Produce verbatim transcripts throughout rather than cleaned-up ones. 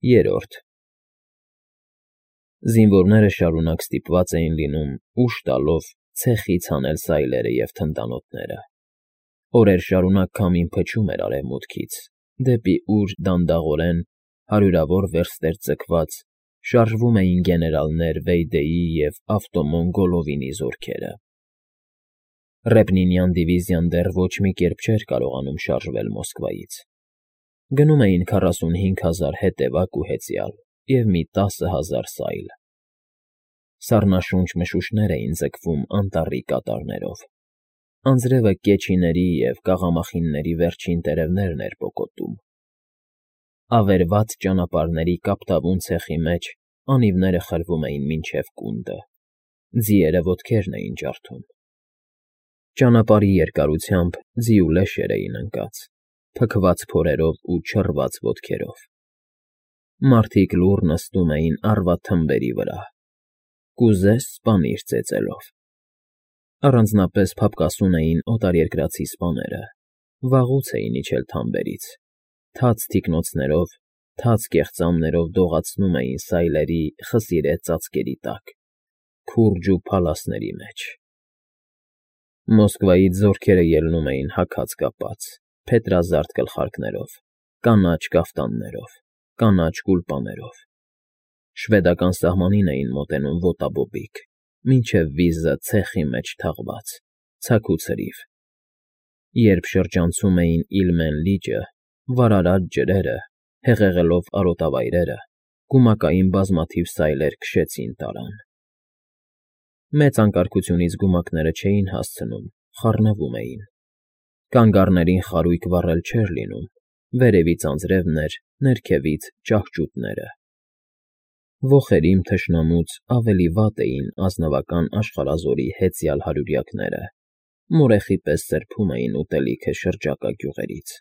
Երրորդ Զինվորները շարունակ ստիպված էին լինում ուժ տալով ցեխից հանել սայլերը և թնդանոթները. օրեր շարունակ քամին փչում էր արևմուտքից, դեպի ուր դանդաղորեն, հարյուրավոր վերստեր ձգված, շարժվում էին գեներալներ Վեյդեի և Ավտոմոն Գոլովինի զորքերը. Ռեպնինյան դիվիզիան դեռ ոչ մի կերպ չէր կարողանում շարժվել Մոսկվայից. գնում էին քառասունհինգ հազար հետևակ ու հեծյալ և մի տասը հազար սայլ. սառնաշունչ մշուշներ էին ձգվում անտառի կատարներով, անձրևը կեչիների և կաղամախինների վերջին տերևներն էր պոկոտում, ավերված ճանապարհների կապտավուն ցեխի մեջ անիվները խրվում էին մինչև կունդը, ձիերը ոտքերն էին ջարդում. ճանապարհի երկարությամբ ձի ու լեշեր էին ընկած, փքված փորերով ու չռված ոտքերով. մարդիկ լուռ նստում էին առվա թմբերի վրա, կուզես սպանիր ծեծելով. առանձնապես փափկասուն էին օտարերկրացի սպաները, վաղուց էին իջել թամբերից, թաց թիկնոցներով, թաց կեղծամներով դողացնում էին սայլերի խսիրե ծածկերի տակ, քուրջն ու փալասների մեջ. Մոսկվայից զորքերը ելնում էին հագած կապած, փետրազարդ գլխարկներով, կանաչ կաֆտաններով, կանաչ գուլպաներով, շվեդական սահմանին էին մոտենում ոտաբոբիկ, մինչև վիզը ցեխի մեջ թաղված, ցաքուցրիվ, երբ շրջանցում էին Իլմեն լիճը, վարարած ջրերը, հեղեղելով արոտավայրերը, գումակային բազմաթիվ սայլեր քշեցին տարան. մեծ անկարգությունից գումակները չէին հասցնում, խառնվում էին, կանգառներին խարույկ վառել չէր լինում, վերևից անձրևն էր, ներքևից ճահճուտները. ոխերիմ թշնամուց ավելի վատ էին ազնվական աշխարհազորի հեծյալ հարյուրյակները, մորեխի պես սրբում էին ուտելիքը շրջակա գյուղերից.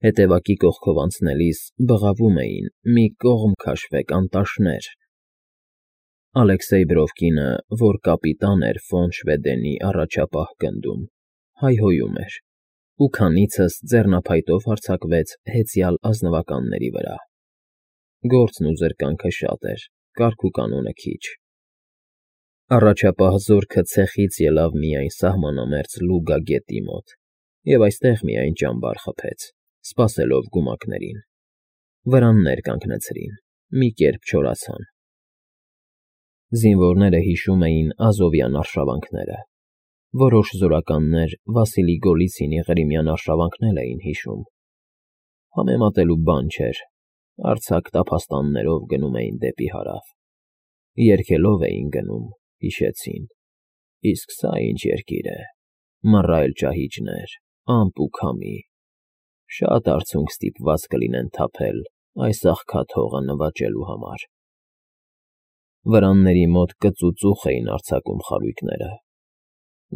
հետևակի կողքով անցնելիս բղավում էին մի կողմ քաշվեք անտաշներ. Ալեքսեյ Բրովկինը, որ կապիտան էր ֆոն Շվեդենի առաջապահ գնդում, հայհոյում էր, ու քանիցս ձեռնափայտով հարձակվեց հեծյալ ազնվականների վրա. գործն ու զրկանքը շատ էր, կարգ ու կանոնը քիչ. առաջապահ զորքը ցեխից ելավ միայն սահմանամերձ Լուգա գետի մոտ և այստեղ միայն ճամբար խփեց, սպասելով գումակներին, վրաններ կանգնեցրին, մի կերպ չորացան. Զինվորները հիշում էին ազովյան արշավանքները, որոշ զորականներ Վասիլի Գոլիցինի Ղրիմյան արշավանքն էլ էին հիշում. համեմատելու բան չէր, արձակ տափաստաններով գնում էին դեպի հարավ, երգելով էին գնում, հիշեցին, իսկ սա ինչ երկիր է, մռայլ ճահիճներ, ամպ ու քամի, շատ արցունք ստիպված կլինեն թափել այս աղքատ հողը նվաճելու համար. վրանների մոտ կծուծուխ էին արձակում խարույկները,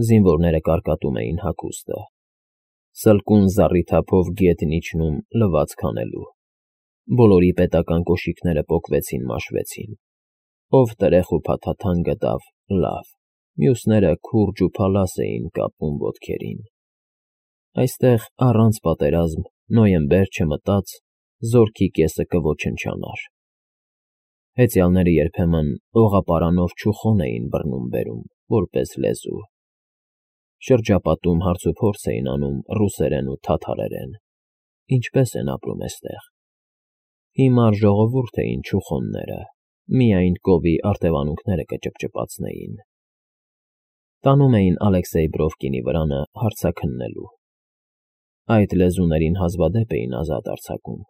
զինվորները կարկատում էին հագուստը, սլկուն զառիթափով գետն իջնում լվացք անելու, բոլորի պետական կոշիկները պոկվեցին մաշվեցին, ով տրեխ ու փաթաթան գտավ, լավ, մյուսները քուրջ ու փալաս էին կապում ոտքերին. այստեղ առանց պատերազմ նոյեմբեր չմտած, զորքի կեսը կոչնչանար. հեծյալները երբեմն օղապարանով չուխոն էին բռնում֊բերում, որպես լեզու, շրջապատում հարցուփորձ էին անում ռուսերեն ու թաթարերեն, ինչպես են ապրում էստեղ, հիմար ժողովուրդ էին չուխոնները, միայն կովի արտևանունքները կճպճպացնեին. տանում էին Ալեքսեյ Բրովկինի վրանը հարցաքննելու. այդ լեզուներին հազվադեպ էին ազատ արձակում,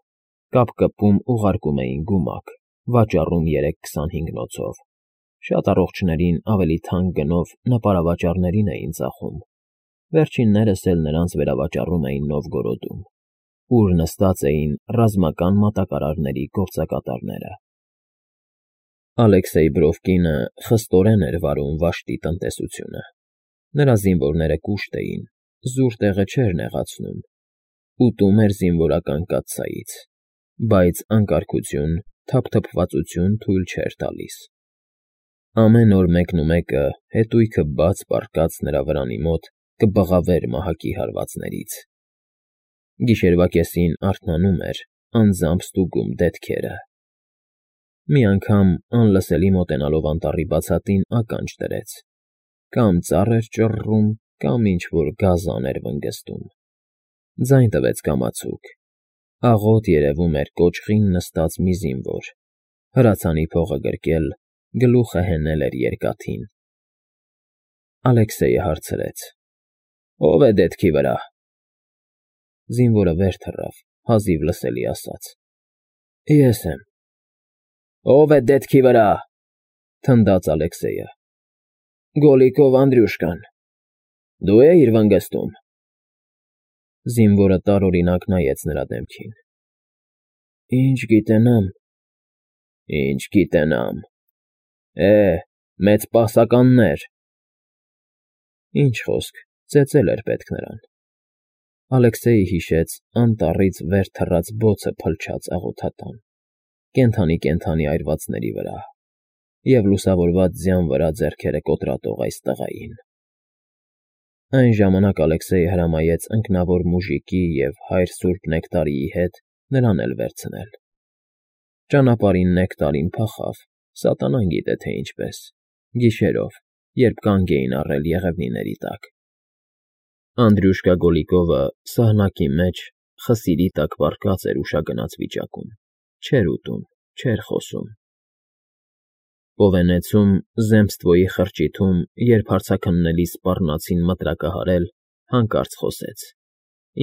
կապկպում ուղարկում էին գումակ, վաճառում երեք քսանհինգնոցով, շատ առողջներին ավելի թանկ գնով նպարավաճառներին էին ծախում, վերջիններս էլ նրանց վերավաճառում էին Նովգորոդում, ուր նստած էին ռազմական մատակարարների գործակատարները. Ալեքսեյ Բրովկինը խստորեն էր վարում Վաշտի տնտեսությունը, նրա զինվորները կուշտ էին, զուր տեղը չէր նեղացնում, ուտում էր զինվորական կաթսայից, բայց անկարգություն, թափթփվածություն թույլ չէր տալիս. ամեն օր մեկնումեկը հետույքը բաց պառկած նրա վրանի մոտ կբղավեր մահակի հարվածներից. գիշերվա կեսին արթնանում էր, անձամբ ստուգում դետքերը։ Մի անգամ անլսելի մոտենալով անտառի բացատին ականջ դրեց. կամ ծառ էր ճռռում, կամ ինչ-որ գազան էր վնգստում։ Ձայն տվեց կամացուկ. աղոտ երևում էր կոճղին նստած մի զինվոր, հրացանի փողը գրկել, գլուխը հենել էր երկաթին։ Ալեքսեյը հարցրեց. ո՞վ է դետքի վրա։ Զինվորը վեր թռավ, հազիվ լսելի ասաց. Ես եմ։ Ո՞վ է դետքի վրա, թնդաց Ալեքսեյը։ Գոլիկով Անդրյուշկան։ Դու էիր վնգստում։ Զինվորը տարօրինակ նայեց նրա դեմքին։ Ինչ գիտենամ։ Ինչ գիտենամ։ Է, մեծ պահսականներ։ Ինչ խոսք, ծեծել էր պետք նրան։ Ալեքսեյը հիշեց անտառից վեր թռած բոցը փլչած աղոթատան, կենդանի֊կենդանի այրվածների վրա և լուսավորված ձյան վրա ձեռքերը կոտրատող այս տղային։ Այն ժամանակ Ալեքսեյը հրամայեց ընկնավոր մուժիկի և հայր սուրբ Նեկտարիի հետ նրան էլ վերցնել։ Ճանապարհին Նեկտարին փախավ, սատանան գիտե թե ինչպես, գիշերով, երբ կանգ էին առել եղևնիների տակ։ Անդրյուշկա Գոլիկովը սահնակի մեջ խսիրի տակ պառկած էր ուշագնաց վիճակում, չէր ուտում, չէր խոսում։ Պովենեցում, Զեմստվոյի խրճիթում, երբ հարցաքննելի սպառնացին մտրակահարել, հանկարծ խոսեց.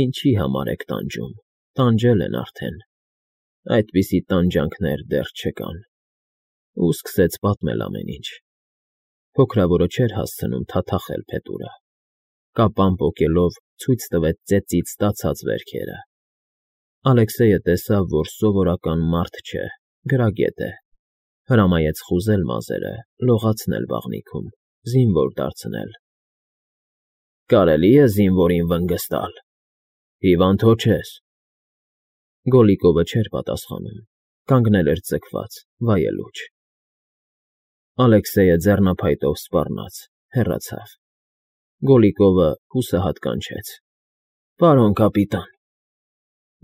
Ինչի համար եք տանջում, տանջել են արդեն, այդպիսի տանջանքներ դեռ չկան, ու սկսեց պատմել ամեն ինչ։ Փոքրավորը չէր հասցնում թաթախել փետուրը, կապան պոկելով ցույց տվեց ծեծից ստացած վերքերը։ Ալեքսեյը տեսավ, որ սովորական մարդ չէ, գրագետ է, հրամայեց խուզել մազերը, լողացնել բաղնիքում, զինվոր դարձնել։ Կարելի է զինվորին վնգստալ, հիվանդ հո չես։ Գոլիկովը չէր պատասխանում, կանգնել էր ձգված, վայելուչ։ Ալեքսեյը ձեռնափայտով սպառնաց, հեռացավ։ Գոլիկովը հուսահատ կանչեց. Պարոն կապիտան։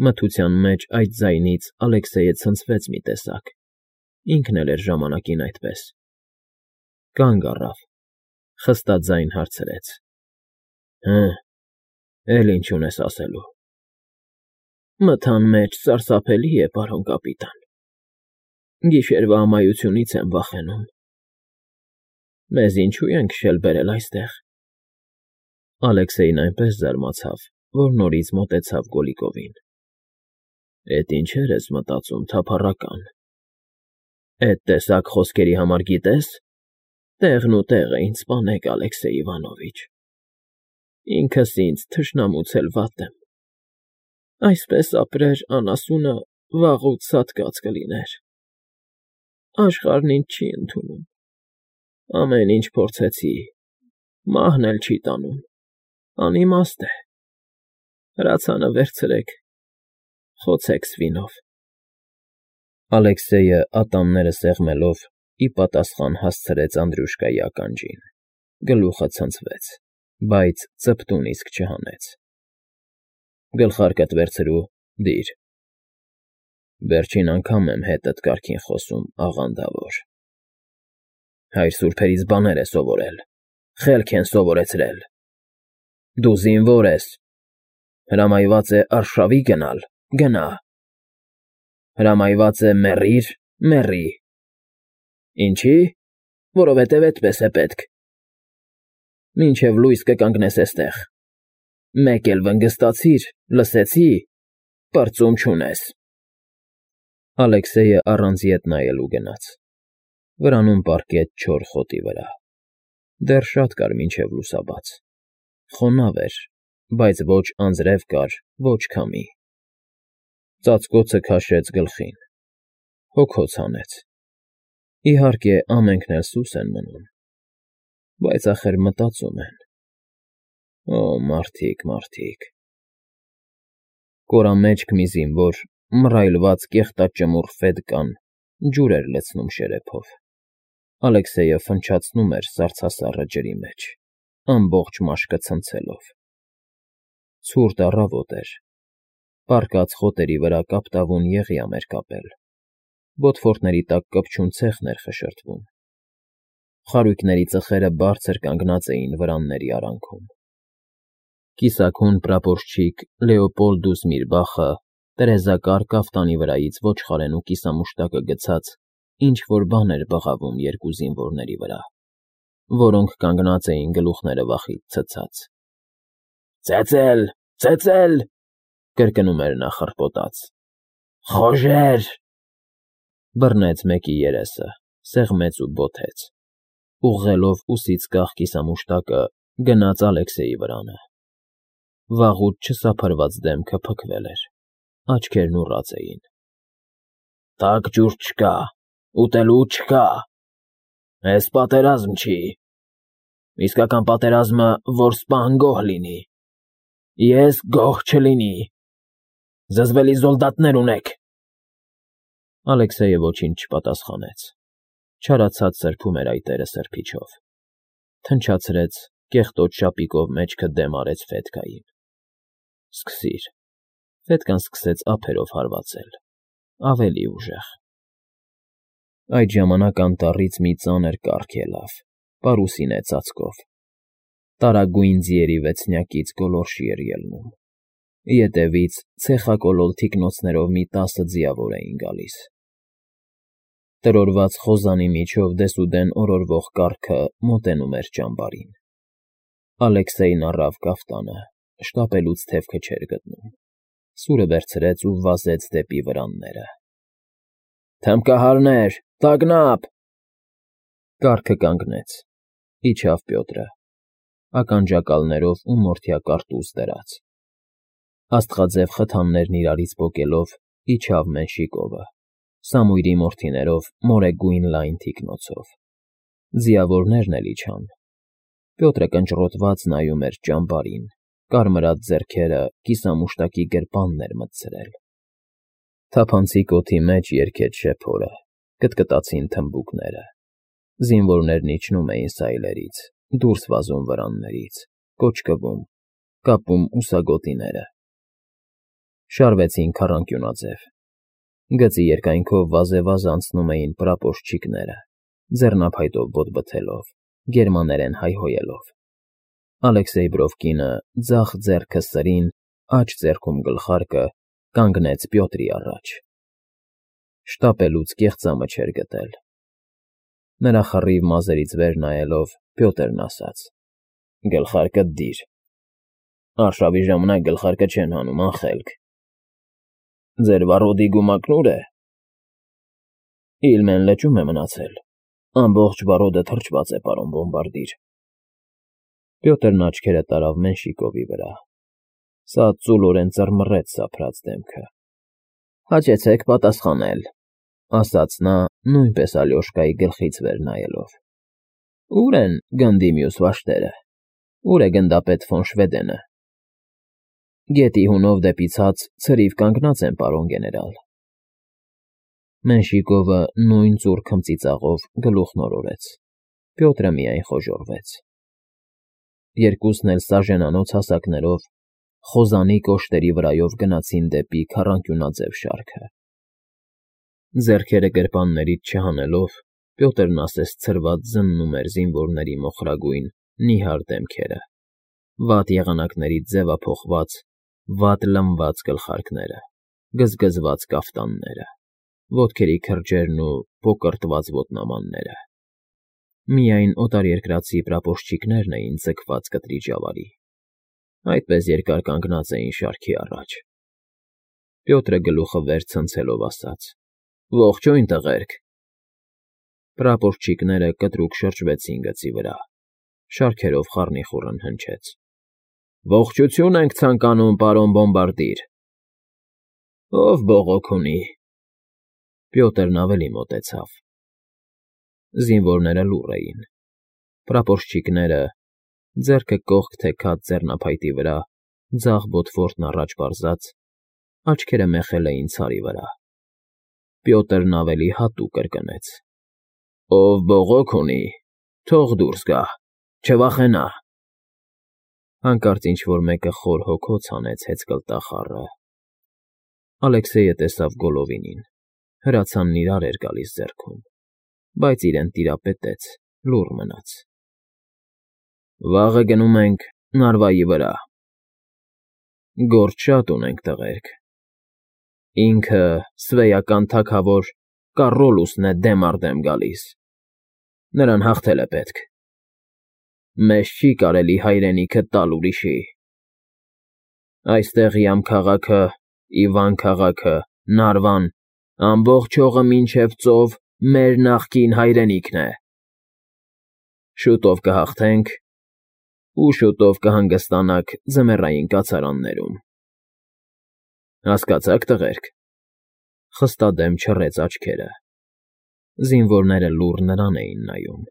Մթության մեջ այդ ձայնից Ալեքսեյը ցնցվեց մի տեսակ, ինքն էլ էր ժամանակին այդպես։ Կանգ առավ, խստաձայն հարցրեց. Հը, էլ ինչ ունես ասելու։ Մթան մեջ սարսափելի է, պարոն կապիտան։ Գիշերվա ամայությունից եմ վախենում։ Մեզ ինչու են քշել բերել այստեղ։ Ալեքսեյն այնպես զարմացավ, որ նորից մոտեցավ Գոլիկովին։ Էդ ինչեր ես մտածում, թափառական։ Էդ տեսակ խոսքերի համար գիտես, տեղն ու տեղը ինձ սպանեք, Ալեքսեյ Իվանովիչ։ Ինքս ինձ թշնամուց էլ վատ եմ։ Այսպես ապրեր անասունը վաղուց սատկած կլիներ։ Աշխարհն ինձ չի ընդունում։ Ամեն ինչ փորձեցի, մահն էլ չի տանում, անիմաստ է։ Հրացանը վերցրեք, խոցեք սվինով։ Ալեքսեյը ատամները սեղմելով ի պատասխան հասցրեց Անդրյուշկայի ականջին, գլուխը ցնցվեց, բայց ծպտուն իսկ չհանեց։ Գլխարկդ վերցրու, դիր։ Վերջին անգամ եմ հետդ կարգին խոսում, աղանդավոր։ Հայր սուրբերից բաներ է սովորել, խելք են սովորեցրել։ Դու զինվոր ես, հրամայված է արշավի գնալ, գնա։ Հրամայված է մեռիր, մեռի։ Ինչի՞, որովհետև էդպես է պետք։ Մինչև լույս կկանգնես էստեղ։ Մեկ էլ վնգստացիր, լսեցի, պրծում չունես։ Ալեքսեյը առանց ետ նայելու գնաց։ Վրանում պառկեց չոր խոտի վրա։ Դեռ շատ կար մինչև լուսաբաց։ Խոնավ էր, բայց ոչ անձրև կար, ոչ քամի։ Ծածկոցը քաշեց գլխին։ Հոգոց հանեց։ Իհարկե, ամենքն էլ սուս են մնում, բայց ախր մտածում են։ Օ, մարդիկ, մարդիկ։ Կորամեջք մի զինվոր, մռայլված կեղտաճմուռ ֆեդկան, ջուր էր լցնում շերեփով։ Ալեքսեյը ֆնչացնում էր սառցասառը ջրի մեջ, ամբողջ մաշկը ցնցելով։ Ցուրտ առավոտ էր։ Պառկած խոտերի վրա կապտավուն եղիամ էր կապել, բոթֆորտների տակ կպչուն ցեխն էր խշրտվում, խարույկների ծխերը բարձր կանգնած էին վրանների արանքում։ Կիսաքուն պրապորչիկ Լեոպոլդուս Միրբախը տերեզակար կաֆտանի վրայից ոչխարեն ու կիսամուշտակը գցած ինչ-որ բան էր բղավում երկու զինվորների վրա, որոնք կանգնած էին գլուխները վախից ցցած։ «Ծեծել, ծեծել,֊ կրկնում էր նա խռպոտած,֊ խոժեր…» Բռնեց մեկի երեսը, սեղմեց ու բոթեց, ուղղելով ուսից կախ կիսամուշտակը գնաց Ալեքսեյի վրանը։ Վաղուց չսափրված դեմքը փքվել էր, աչքերն ուռած էին։ «Տաք ջուր չկա, ուտելու չկա, էս պատերազմ չի, իսկական պատերազմը, որ սպան գոհ լինի, ես գոհ չլինի, զզվելի զոլդատներ ունեք»։ Ալեքսեյը ոչինչ չպատասխանեց, չարացած սրբում էր այտերը սրբիչով, թնչացրեց, կեղտոտ շապիկով մեջքը դեմ արեց Ֆետկային։ «Սկսիր»։ Ֆետկան սկսեց ափերով հարվածել, ավելի ուժեղ։ Այդ ժամանակ անտառից մի ծանր կառք ելավ, պարուսինե ծածկով, տարագույն ձիերի վեցնյակից գոլորշի էր ելնում, ետևից ցեխակոլոր թիկնոցներով մի տասը ձիավոր էին գալիս։ Տրորված խոզանի միջով դեսուդեն օրորվող կառքը մոտենում էր ճամբարին։ Ալեքսեյն առավ կաֆտանը, շտապելուց թևքը չէր գտնում, սուրը վերցրեց ու վազեց դեպի վրանները։ «Թմբկահարներ, տագնապ…» Կառքը կանգնեց, իջավ Պյոտրը, ականջակալներով ու մորթյա կարտուզ դրած։ Աստղաձև խթաններն իրարից պոկելով իջավ Մենշիկովը, Սամույրի մորթիներով մորեգույն լայն թիկնոցով։ Ձիավորներն էլ իջան։ Պյոտրը կնճռոտված նայում էր ճամբարին, կարմրած ձեռքերը կիսամուշտակի գրպանն էր մտցրել։ Թափանցիկ օդի մեջ երգեց շեփորը, կտկտացին թմբուկները։ Զինվորներն իջնում էին սայլերից, դուրս վազում վրաններից, կոճկվում, կապում ուսագոտիները։ Շարվեցին քառանկյունաձև։ Գծի երկայնքով վազեվազ անցնում էին պրապորչիկները, ձեռնափայտով բոթբթելով, գերմաներեն հայհոյելով։ Ալեքսեյ Բրովկինը, ձախ ձեռքը սրին, աջ ձեռքում գլխարկը, կանգնեց Պյոտրի առաջ։ Շտապելուց կեղծամը չէր գտել։ Նրա խռիվ մազերից վեր նայելով, Պյոտրն ասաց. «Գլխարկդ դիր։ Արշավի ժամանակ գլխարկը չեն հանում, անխելք։ Ձեր վառոդի գումակն ուր է»։ «Իլմեն լճում է մնացել, ամբողջ վառոդը թրջված է, պարոն բոմբարդիր»։ Պյոտրն աչքերը տարավ Մենշիկովի վրա։ Սա ծուլորեն ծռմռեց սափրած դեմքը։ «Հաճեցեք պատասխանել», ասաց նա, նույնպես Ալյոշկայի գլխից վեր նայելով։ «Ո՞ւր են գնդի մյուս վաշտերը, ո՞ւր է գնդապետ ֆոն Շվեդենը»։ «Գետի հունով դեպի ցած ցրիվ կանգնած են, պարոն գեներալ»։ Մենշիկովը նույն ծուռ քմծիծաղով գլուխն օրորեց։ Պյոտրը միայն խոժոռվեց։ Երկուսն էլ սաժենանոց հասակներով խոզանի կոշտերի վրայով գնացին դեպի քառանկյունաձև շարքը։ Ձեռքերը գրպաններից չհանելով, Պյոտրն ասես ցրված զննում էր զինվորների մոխրագույն, նիհար դեմքերը, վատ եղանակներից ձևափոխված, վատ լմված գլխարկները, գզգզված կաֆտանները, ոտքերի քրջերն ու կոկրտված ոտնամանները։ Միայն օտարերկրացի պրապորչիկներն էին ձգված կտրիճ ավարի, այդպես երկար կանգնած էին շարքի առաջ։ Պյոտրը գլուխը վեր ցնցելով ասաց. «Ողջույն, տղերք»։ Պրապորչիկները կտրուկ շրջվեցին գծի վրա, շարքերով խառնիխուռն հնչեց. «Ողջություն ենք ցանկանում, պարոն բոմբարդիր»։ «Ով բողոք ունի»։ Պյոտրն ավելի մոտեցավ։ Զինվորները լուռ էին։ Պրապորչիկները, ձեռքը կողք թեքած ձեռնափայտի վրա, ձախ բոթֆորտն առաջ պարզած, աչքերը մեխել էին ցարի վրա։ Պյոտրն ավելի հատուկ կրկնեց. «Ով բողոք ունի, թող դուրս գա, չվախենա»։ Հանկարծ ինչ֊որ մեկը խոր հոգոց հանեց հեծկլտախառը, Ալեքսեյը տեսավ Գոլովինին, հրացանն իրար էր գալիս ձեռքում, բայց իրեն տիրապետեց, լուռ մնաց։ ֊ Վաղը գնում ենք Նարվայի վրա։ Գործ շատ ունենք, տղերք։ Ինքը սվեյական թագավոր Կառոլուսն է դեմ առ դեմ գալիս, նրան հաղթել է պետք։ Մեզ չի կարելի հայրենիքը տալ ուրիշի։ Այստեղ Յամ քաղաքը, Իվան քաղաքը, Նարվան, ամբողջ հողը մինչև ծով մեր նախկին հայրենիքն է։ Շուտով կհաղթենք ու շուտով կհանգստանաք ձմեռային կացարաններում։ Հասկացա՞ք, տղերք։ Խստադեմ չռեց աչքերը։ Զինվորները լուռ նրան էին նայում,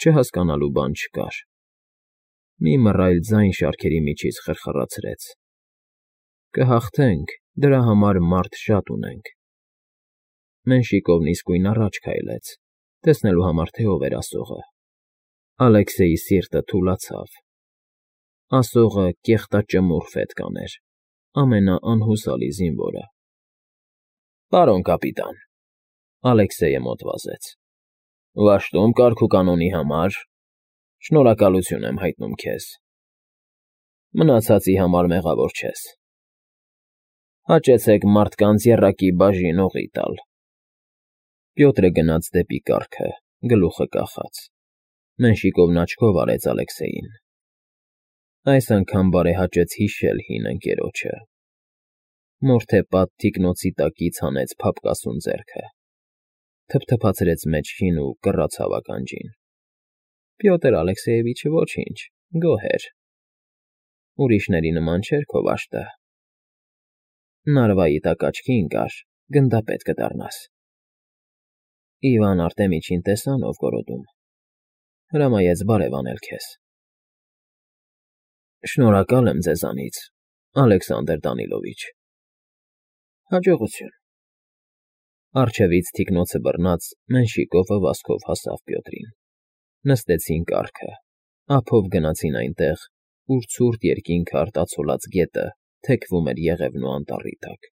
չհասկանալու բան չկար։ Մի մռայլ ձայն շարքերի միջից խրխռացրեց. Կհաղթենք, դրա համար մարդ շատ ունենք։ Մենշիկովն իսկույն առաջ քայլեց, տեսնելու համար, թե ով էր ասողը։ Ալեքսեյի սիրտը թուլացավ։ Ասողը կեղտաճմուռ ֆետ կաներ, ամենաանհուսալի զինվորը։ Պարոն կապիտան, Ալեքսեյը մոտ վազեց, վաշտում կարգ ու կանոնի համար շնորհակալություն եմ հայտնում քեզ։ Մնացածի համար մեղավոր չես։ Հաճեցեք մարդկանց եռակի բաժին օղի տալ։ Պյոտրը գնաց դեպի կառքը, գլուխը կախած։ Մենշիկովն աչքով արեց Ալեքսեյին։ Այս անգամ բարեհաճեց հիշել հին ընկերոջը։ Մորթեպատ թիկնոցի տակից հանեց փափկասուն ձեռքը, թփթփացրեց մեջքին ու կռացավ ականջին։ Պյոտր Ալեքսեյևիչը ոչինչ, գոհ էր։ Ուրիշների նման չէր քո վաշտը։ Նարվայի տակ աչքի ընկար, գնդապետ կդառնաս։ Իվան Արտեմիչին տեսան ով գորոդում։ Հրամայեց բարև անել քեզ։ Շնորհակալ եմ ձեզանից, Ալեքսանդր Դանիլովիչ։ Հաջողություն։ Առջևից թիկնոցը բռնած Մենշիկովը վազքով հասավ Պյոտրին։ Նստեցին կառքը, ափով գնացին այնտեղ, ուր ցուրտ երկինքը արտացոլած գետը թեքվում էր Եղևնու անտառի տակ։